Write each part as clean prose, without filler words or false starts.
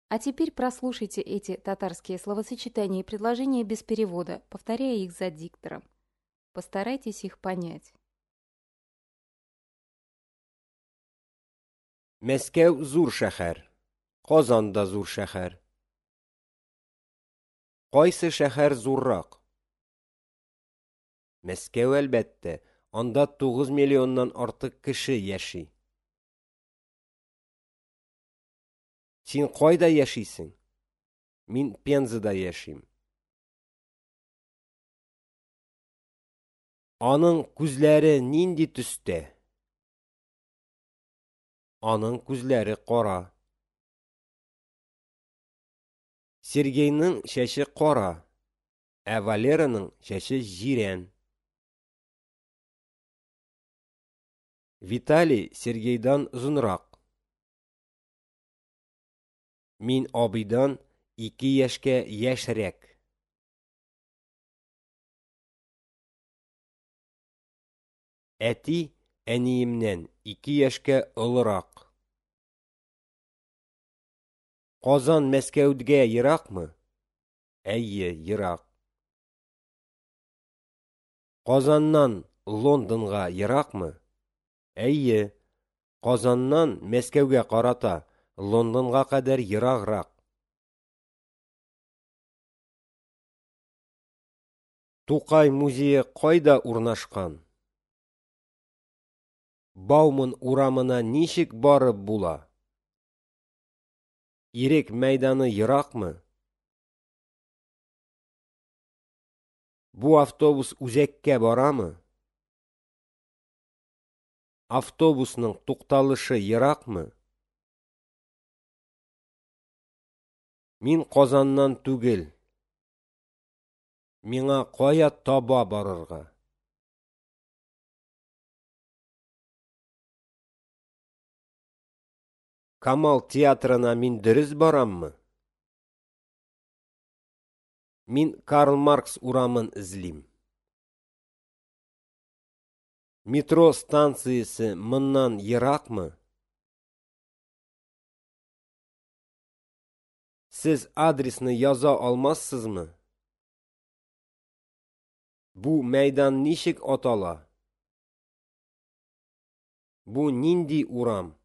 А теперь прослушайте эти татарские словосочетания и предложения без перевода, повторяя их за диктором. Постарайтесь их понять. Мәскәү зур шәһәр. Казан да зур шәһәр. Кайсы шәһәр зуррак? Мәскәү, әлбәттә, анда 9 миллионнан артык кеше яши. Син кайда яшисең? Мин Пензада яшим. Аның күзләре нинди төстә? Аның күзләре кара. Сергейның чәче кара, ә Валераның чәче җирән. Виталий Сергейдан озынрак. Мин абыйдан 2 яшькә яшьрәк. Әти әниемнән 2 яшькә олырак. Казан Мәскәүгә еракмы? Әйе, ерак. Казаннан Лондонга еракмы? Әйе. Казаннан Мәскәүгә карата Лондонга кадәр ераграк. Тукай музее кайда урнашкан? Бауман урамына ничек барып була? Ирек мәйданы еракмы? Бу автобус үзәккә барамы? Автобусның тукталышы еракмы? Мин Казаннан түгел. Миңа кая таба барырга? Камал театрына мин дөрес бараммы? Мин Карл Маркс урамын эзлим. Метро станциясе моннан еракмы? Сез адресны яза алмассызмы? Бу мәйдан ничек атала? Бу нинди урам?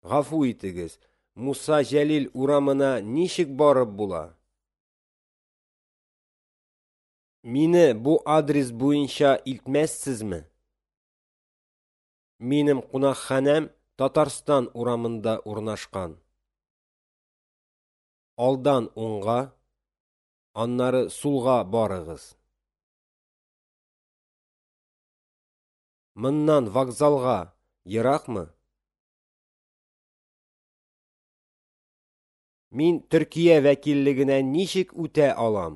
Гафу итегез, Муса Җәлил урамына ничек барып була? Мине бу адрес буенча илтмәссезме? Минем кунакханәм Татарстан урамында урнашкан. Алдан уңга, аннары сулга барыгыз. Моннан вокзалга еракмы? Мин Төркия вәкиллегенә ничек үтә алам?